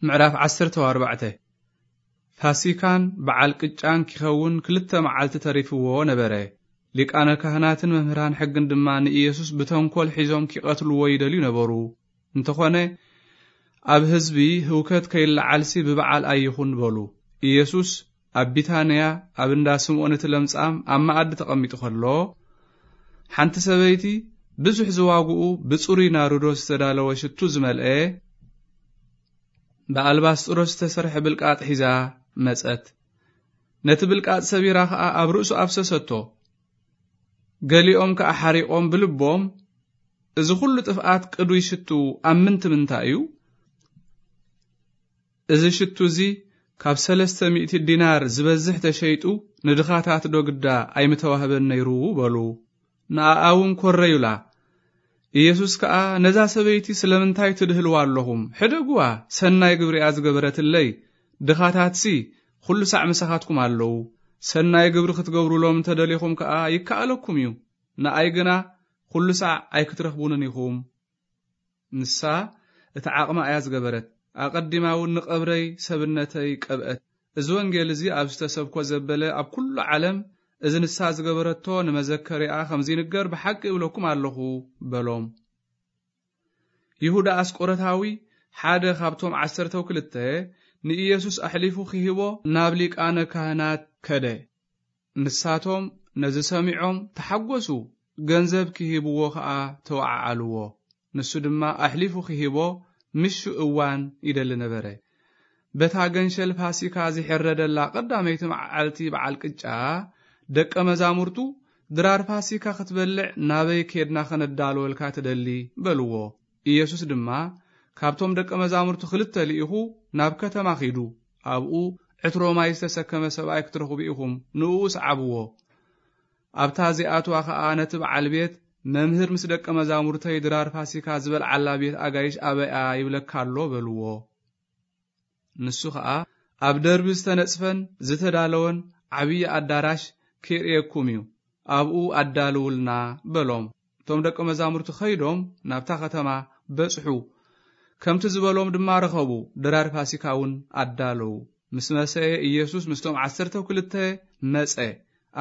ምዕራፍ ዓሰርተ ኣርባዕተ። ፋሲካን በዓል ቅጫን ኪኸውን ክልተ መዓልቲ ተሪፍዎ ነበረ። ሊቃነ ካህናትን መምህራን ሕግን ድማ ንኢየሱስ ብተንኮል ሒዞም ኪቐትልዎ ይደልዩ ነበሩ። እንተኾነ፣ ኣብ ህዝቢ ህውከት ከይለዓልሲ ብበዓል ኣይኹን በሉ። ኢየሱስ ኣብ ቢታንያ ኣብ እንዳ ስምዖን እቲ ለምጻም ኣብ መኣዲ ተቐሚጡ ከሎ፣ ሓንቲ ሰበይቲ ብዙሕ ዝዋግኡ ብጽሩይ ናርዶስ ዝተዳለወ ሽቱ ዝመልአ ብኣልባስጥሮስ ዝተሰርሐ ብልቃጥ ሒዛ መጸት። ነቲ ብልቃጥ ሰቢራ ኸኣ ኣብ ርእሱ ኣፍሰሰቶ። ገሊኦም ከኣ ሓሪቖም ብልቦም፣ "እዚ ኹሉ ጥፍኣት ቅዱይ ሽቱ ኣብ ምንቲ ምንታይ እዩ? እዚ ሽቱ እዚ ካብ ሰለስተ ሚእቲ ዲናር ዝበዝሕ ተሸይጡ ንድኻታት ዶ ግዳ ኣይምተዋህበን ነይሩ?" በሉ። ንኣኣ እውን ኮረዩላ። ኢየሱስ ከኣ፣ "ነዛ ሰበይቲ ስለምንታይ ትድህልዋ ኣለኹም? ሕደግዋ፣ ሰናይ ግብሪ እያ ዝገበረትለይ። ድኻታትሲ ኩሉ ሳዕ ምሳኻትኩም ኣለዉ። ሰናይ ግብሪ ክትገብሩሎም እንተ ደሊኹም ከኣ ይከኣለኩም እዩ። ንኣይ ግና ኩሉ ሳዕ ኣይክትረኽቡንን ኢኹም።" ንሳ እቲ ዓቕማ እያ ዝገበረት። ኣቐዲማ እውን ንቐብረይ ሰብነተይ ቀብአት። እዚ ወንጌል እዚ ኣብ ዝተሰብኮ ዘበለ ኣብ ኩሉ ዓለም፣ እዚ ንሳ ዝገበረቶ ንመዘከሪኣ ከም ዝንገር ብሓቂ እብለኩም ኣለኹ በሎም። ይሁዳ ኣስቆረታዊ፣ ሓደ ካብቶም ዓሰርተው ክልተ፣ ንኢየሱስ ኣሕሊፉ ክሂቦ ናብ ሊቃነ ካህናት ከደ። ንሳቶም ነዚ ሰሚዖም ተሓጎሱ፣ ገንዘብ ክሂብዎ ኸኣ ተወዓዓልዎ። ንሱ ድማ ኣሕሊፉ ክሂቦ ምሹ እዋን ይደሊ ነበረ። በታ ገንሸል ፋሲካ ዝሕረደላ ቀዳመይቲ መዓልቲ በዓል ቅጫ፣ ደቀ መዛሙርቱ፣ "ድራር ፋሲካ ክትበልዕ ናበይ ኬድና ኸነዳልወልካ ትደሊ?" በልዎ። ኢየሱስ ድማ፣ "ካብቶም ደቀ መዛሙርቱ ክልተ ልኢኹ ናብ ከተማ ኺዱ፣ ኣብኡ ዕትሮ ማይ ዝተሰከመ ሰብኣይ ክትረኽቡ ኢኹም፣ ንእኡ ስዓብዎ። ኣብታ ዚኣትዋ ኸኣ ነቲ በዓል ቤት፣ 'መምህር ምስ ደቀ መዛሙርተይ ድራር ፋሲካ ዝበልዓላ ቤት ኣጋይሽ ኣበይ እያ?' ይብለካ ኣሎ" በልዎ። ንሱ ኸኣ፣ "ኣብ ደርቢ ዝተነጽፈን ዝተዳለወን ዓብዪ ኣዳራሽ ኬርእየኩም እዩ፣ ኣብኡ ኣዳልውልና" በሎም። እቶም ደቀ መዛሙርቲ ኸይዶም ናብታ ኸተማ በጽሑ። ከምቲ ዝበሎም ድማ ረኸቡ፣ ድራር ፋሲካ እውን ኣዳለዉ። ምስ መሰየ ኢየሱስ ምስቶም ዓሰርተው ክልተ መጸ።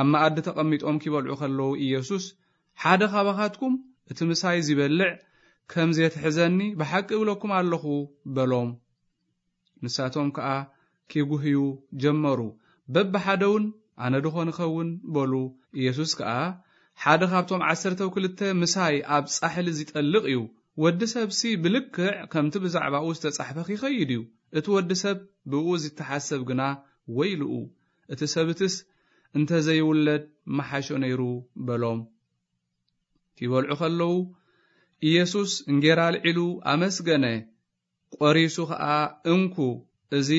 ኣብ መኣዲ ተቐሚጦም ኪበልዑ ኸለዉ ኢየሱስ፣ "ሓደ ኻባኻትኩም እቲ ምሳይ ዚበልዕ ከም ዜትሕዘኒ ብሓቂ እብለኩም ኣለኹ" በሎም። ንሳቶም ከኣ ኪጉህዩ ጀመሩ። በብሓደውን፣ "ኣነ ድኾን እኸውን?" በሉ። ኢየሱስ ከኣ፣ "ሓደ ካብቶም ዓሰርተው ክልተ ምሳይ ኣብ ጻሕሊ ዚጠልቕ እዩ። ወዲ ሰብሲ ብልክዕ ከምቲ ብዛዕባኡ ዝተጻሕፈ ኺኸይድ እዩ። እቲ ወዲ ሰብ ብእኡ ዚተሓሰብ ግና ወይልኡ! እቲ ሰብትስ እንተ ዘይውለድ ምሓሾ ነይሩ" በሎም። ኪበልዑ ኸለዉ፣ ኢየሱስ እንጌራ ኣልዒሉ ኣመስገነ፣ ቈሪሱ ኸኣ፣ "እንኩ፣ እዚ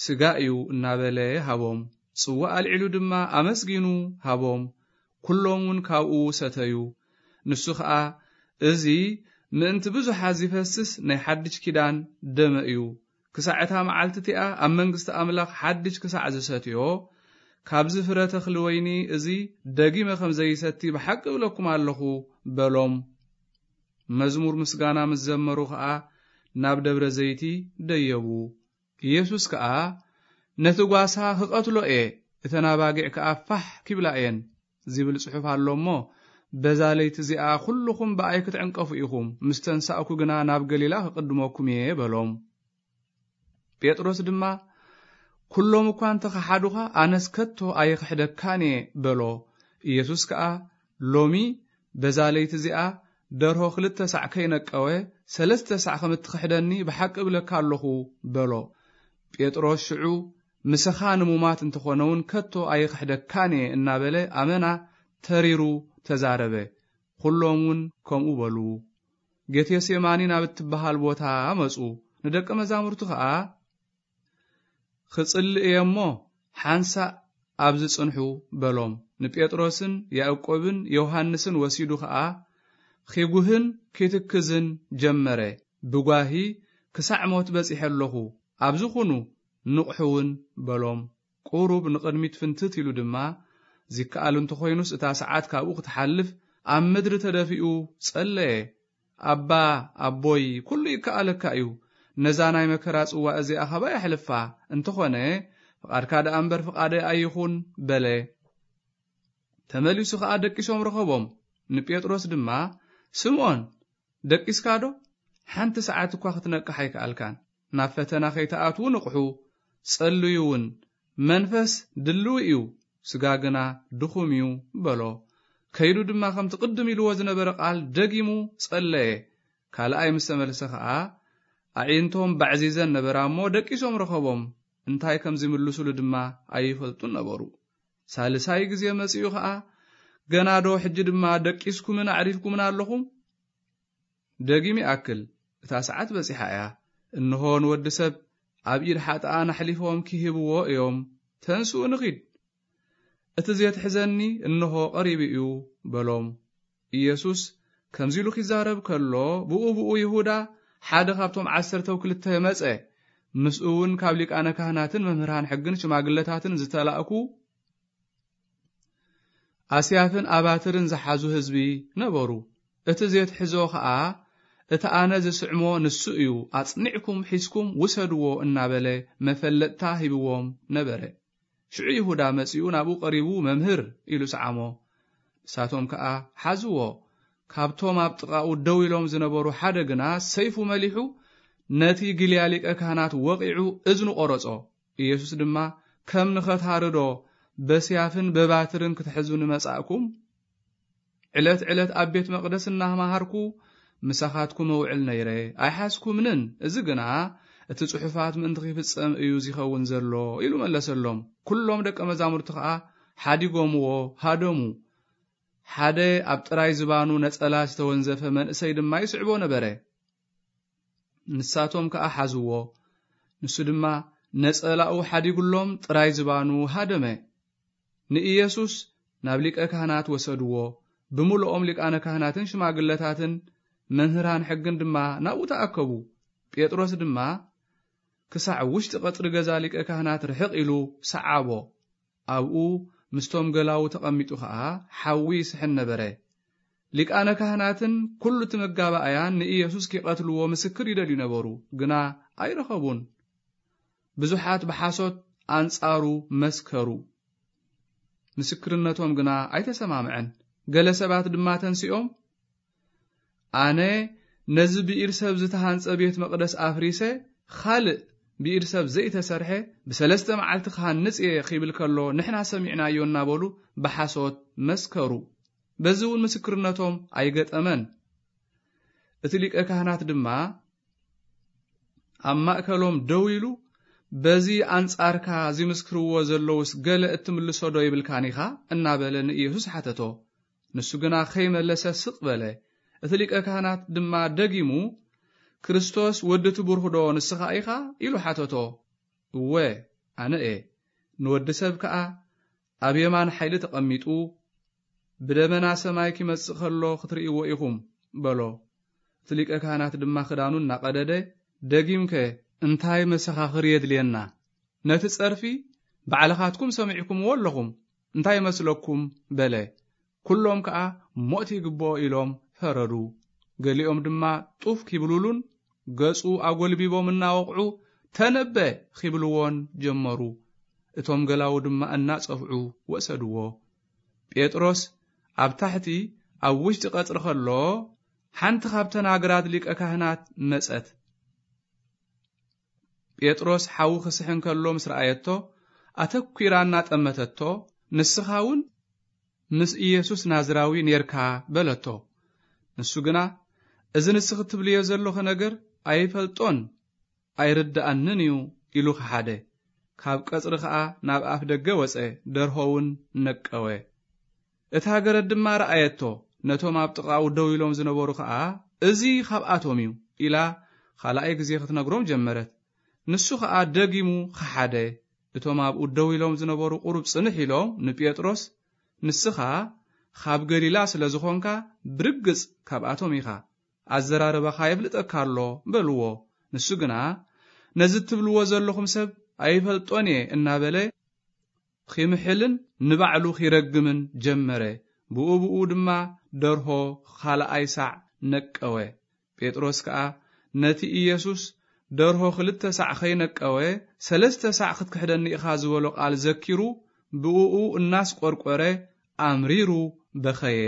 ስጋ እዩ" እናበለ ሃቦም። ጽዋእ ኣልዒሉ ድማ ኣመስጊኑ ሃቦም። ኩሎም እውን ካብኡ ሰተዩ። ንሱ ኸኣ፣ "እዚ ምእንቲ ብዙሓት ዚፈስስ ናይ ሓድሽ ኪዳን ደመ እዩ። ክሳዕ እታ መዓልቲ እቲኣ ኣብ መንግስቲ ኣምላኽ ሓድሽ ክሳዕ ዝሰትዮ፣ ካብዚ ፍረ ተኽሊ ወይኒ እዚ ደጊመ ከም ዘይሰቲ ብሓቂ እብለኩም ኣለኹ" በሎም። መዝሙር ምስጋና ምስ ዘመሩ ኸኣ ናብ ደብረ ዘይቲ ደየቡ። ኢየሱስ ከኣ፣ "ነቲ ጓሳ ክቐትሎ እየ፣ እተን ኣባጊዕ ከኣ ፋሕ ኪብላ እየን" ዚብል ጽሑፍ ኣሎ እሞ፣ በዛ ለይቲ እዚኣ ኹልኹም ብኣይ ክትዕንቀፉ ኢኹም፣ ምስ ተንሳእኩ ግና ናብ ገሊላ ክቕድመኩም እየ በሎም። ጴጥሮስ ድማ፣ "ኩሎም እኳ እንተ ኸሓዱኻ፣ ኣነስ ከቶ ኣይኽሕደካን እየ" በሎ። ኢየሱስ ከኣ፣ "ሎሚ በዛ ለይቲ እዚኣ ደርሆ ክልተ ሳዕ ከይነቀወ፣ ሰለስተ ሳዕ ከም እትኽሕደኒ ብሓቂ እብለካ ኣለኹ" በሎ። ጴጥሮስ ሽዑ፣ "ምስኻ ንሙማት እንተኾነ እውን ከቶ ኣይኽሕደካን እየ" እናበለ ኣመና ተሪሩ ተዛረበ። ኩሎም እውን ከምኡ በሉ። ጌቴሴማኒ ናብ እትበሃል ቦታ መጹ። ንደቀ መዛሙርቱ ኸኣ፣ "ክጽሊ እየ እሞ፣ ሓንሳእ ኣብዚ ጽንሑ" በሎም። ንጴጥሮስን ያዕቆብን ዮሃንስን ወሲዱ ኸኣ፣ ኺጉህን ኪትክዝን ጀመረ። ብጓሂ፣ "ክሳዕ ሞት በጺሐ ኣለኹ፣ ኣብዚ ኹኑ፣ ንቕሑ እውን" በሎም። ቁሩብ ንቕድሚት ፍንትት ኢሉ ድማ፣ ዚከኣል እንተኾይኑስ እታ ሰዓት ካብኡ ክትሓልፍ፣ ኣብ ምድሪ ተደፊኡ ጸለየ። "ኣባ፣ ኣቦይ፣ ኩሉ ይከኣለካ እዩ። ነዛ ናይ መከራ ጽዋ እዚኣ ኻባይ ኣሕልፋ፣ እንተኾነ ፍቓድካ ደኣ እምበር ፍቓደይ ኣይኹን በለ። ተመሊሱ ኸኣ ደቂሶም ረኸቦም፣ ንጴጥሮስ ድማ፣ ስምዖን፣ ደቂስካ ዶ? ሓንቲ ሰዓት እኳ ክትነቅሕ ኣይከኣልካን። ናብ ፈተና ከይትኣትዉ ንቕሑ፣ ጸልዩ እውን። መንፈስ ድልው እዩ፣ ስጋ ግና ድኹም እዩ በሎ። ከይዱ ድማ ከምቲ ቅድም ኢልዎ ዝነበረ ቃል ደጊሙ ጸለየ። ካልኣይ ምስ ተመልሰ ኸኣ፣ ኣዒንቶም ባዕዚዘን ነበራ እሞ ደቂሶም ረኸቦም፣ እንታይ ከም ዝምልሱሉ ድማ ኣይፈልጡን ነበሩ። ሳልሳይ ግዜ መጺኡ ኸኣ፣ ገና ዶ ሕጂ ድማ ደቂስኩምን ኣዕሪፍኩምን ኣለኹም? ደጊም ይኣክል፣ እታ ሰዓት በጺሓ እያ። እንሆ ንወዲ ሰብ ኣብ ኢድ ሓጥኣን ኣሕሊፎም ክህብዎ እዮም። ተንስኡ ንኺድ። እቲ ዜትሕዘኒ እንሆ ቀሪቡ እዩ በሎም። ኢየሱስ ከምዚ ኢሉ ኺዛረብ ከሎ፣ ብኡ ብኡ ይሁዳ ሓደ ካብቶም ዓሰርተው ክልተ መጸ። ምስኡ እውን ካብ ሊቃነ ካህናትን መምህራን ሕግን ሽማግለታትን ዝተላእኩ ኣስያፍን ኣባትርን ዝሓዙ ህዝቢ ነበሩ። እቲ ዜትሕዞ ኸኣ፣ እቲ ኣነ ዝስዕሞ ንሱ እዩ፣ ኣጽኒዕኩም ሒዝኩም ውሰድዎ እናበለ መፈለጥታ ሂብዎም ነበረ። ሽዑ ይሁዳ መጺኡ ናብኡ ቀሪቡ፣ መምህር ኢሉ ሰዓሞ። ንሳቶም ከኣ ሓዝዎ። ካብቶም ኣብ ጥቓኡ ደው ኢሎም ዝነበሩ ሓደ ግና ሰይፉ መሊሑ ነቲ ግልያ ሊቀ ካህናት ወቒዑ እዝኑ ቆረጾ። ኢየሱስ ድማ፣ ከም ንኸታርዶ በስያፍን በባትርን ክትሕዙኒ መጻእኩም? ዕለት ዕለት ኣብ ቤት መቕደስ እናመሃርኩ ምሳኻትኩም እውዕል ነይረ፣ ኣይሓዝኩምንን። እዚ ግና እቲ ጽሑፋት ምእንቲ ኺፍጸም እዩ ዚኸውን ዘሎ ኢሉ መለሰሎም። ኩሎም ደቀ መዛሙርቲ ኸኣ ሓዲጎምዎ ሃደሙ። ሓደ ኣብ ጥራይ ዝባኑ ነጸላ ዝተወንዘፈ መንእሰይ ድማ ይስዕቦ ነበረ። ንሳቶም ከኣ ሓዝዎ። ንሱ ድማ ነጸላኡ ሓዲጉሎም ጥራይ ዝባኑ ሃደመ። ንኢየሱስ ናብ ሊቀ ካህናት ወሰድዎ። ብምሉኦም ሊቃነ ካህናትን ሽማግለታትን መምህራን ሕግን ድማ ናብኡ ተኣከቡ። ጴጥሮስ ድማ ክሳዕ ውሽጢ ቀጽሪ ገዛ ሊቀ ካህናት ርሕቕ ኢሉ ሰዓቦ። ኣብኡ ምስቶም ገላዉ ተቐሚጡ ኸኣ ሓዊ ይስሕን ነበረ። ሊቃነ ካህናትን ኩሉ እቲ መጋባእያን ንኢየሱስ ኪቐትልዎ ምስክር ይደልዩ ነበሩ፣ ግና ኣይረኸቡን። ብዙሓት ብሓሶት ኣንጻሩ መስከሩ፣ ምስክርነቶም ግና ኣይተሰማምዐን። ገለ ሰባት ድማ ተንሲኦም፣ ኣነ ነዚ ብኢድ ሰብ ዝተሃንጸ ቤት መቕደስ ኣፍሪሰ፣ ኻልእ ብኢድ ሰብ ዘይተሰርሐ ብሰለስተ መዓልቲ ክሃንጽ እየ ኺብል ከሎ፣ ንሕና ሰሚዕናዮ እናበሉ ብሓሶት መስከሩ። በዚ እውን ምስክርነቶም ኣይገጠመን። እቲ ሊቀ ካህናት ድማ ኣብ ማእከሎም ደው ኢሉ፣ በዚ ኣንጻርካ ዚምስክርዎ ዘለዉስ ገለ እትምልሶ ዶ ይብልካን ኢኻ? እናበለ ንኢየሱስ ሓተቶ። ንሱ ግና ከይመለሰ ስቕ በለ። እቲ ሊቀ ካህናት ድማ ደጊሙ፣ ክርስቶስ ወዲ እቲ ብሩኽ ዶ ንስኻ ኢኻ? ኢሉ ሓተቶ። እወ፣ ኣነ እየ። ንወዲ ሰብ ከኣ ኣብ የማን ሓይሊ ተቐሚጡ፣ ብደመና ሰማይ ኪመጽእ ከሎ ክትርእይዎ ኢኹም፣ በሎ። እቲ ሊቀ ካህናት ድማ ክዳኑ እናቐደደ፣ ደጊምከ እንታይ መሰኻኽር የድልየና? ነቲ ጸርፊ ባዕልኻትኩም ሰሚዕኩምዎ ኣለኹም፣ እንታይ ይመስለኩም? በለ። ኩሎም ከኣ ሞት ይግብኦ ኢሎም ፈረዱ። ገሊኦም ድማ ጡፍ ኪብሉሉን ገጹ ኣጎልቢቦም እናወቕዑ፣ ተነበ ኺብልዎን ጀመሩ። እቶም ገላዉ ድማ እናጸፍዑ ወሰድዎ። ጴጥሮስ ኣብ ታሕቲ ኣብ ውሽጢ ቀጽሪ ኸሎ፣ ሓንቲ ኻብተን ኣግራት ሊቀ ካህናት መጸት። ጴጥሮስ ሓዊ ኽስሕን ከሎ ምስ ረኣየቶ፣ ኣተኲራ እናጠመተቶ፣ ንስኻ እውን ምስ ኢየሱስ ናዝራዊ ኔርካ በለቶ። ንሱ ግና፣ እዚ ንስኺ ትብልዮ ዘለኺ ነገር ኣይፈልጦን ኣይርድኣንን እዩ ኢሉ ኸሓደ። ካብ ቀጽሪ ኸኣ ናብ ኣፍ ደገ ወጸ፣ ደርሆ እውን ነቀወ። እታ ገረድ ድማ ረኣየቶ፣ ነቶም ኣብ ጥቓኡ ደው ኢሎም ዝነበሩ ኸኣ፣ እዚ ኻብኣቶም እዩ ኢላ ኻልኣይ ግዜ ኽትነግሮም ጀመረት። ንሱ ኸኣ ደጊሙ ኸሓደ። እቶም ኣብኡ ደው ኢሎም ዝነበሩ ቁሩብ ጽንሕ ኢሎም ንጴጥሮስ፣ ንስኻ ኻብ ገሊላ ስለ ዝኾንካ ብርግጽ ካብኣቶም ኢኻ፣ ኣዘራርባኻ የፍልጠካ ኣሎ በልዎ። ንሱ ግና፣ ነዚ እትብልዎ ዘለኹም ሰብ ኣይፈልጦን እየ እናበለ ኺምሕልን ንባዕሉ ኺረግምን ጀመረ። ብኡ ብኡ ድማ ደርሆ ኻልኣይ ሳዕ ነቀወ። ጴጥሮስ ከኣ ነቲ ኢየሱስ ደርሆ ክልተ ሳዕ ከይነቀወ፣ ሰለስተ ሳዕ ክትክሕደኒ ኢኻ ዝበሎ ቃል ዘኪሩ፣ ብእኡ እናስቆርቆረ ኣምሪሩ በኸየ።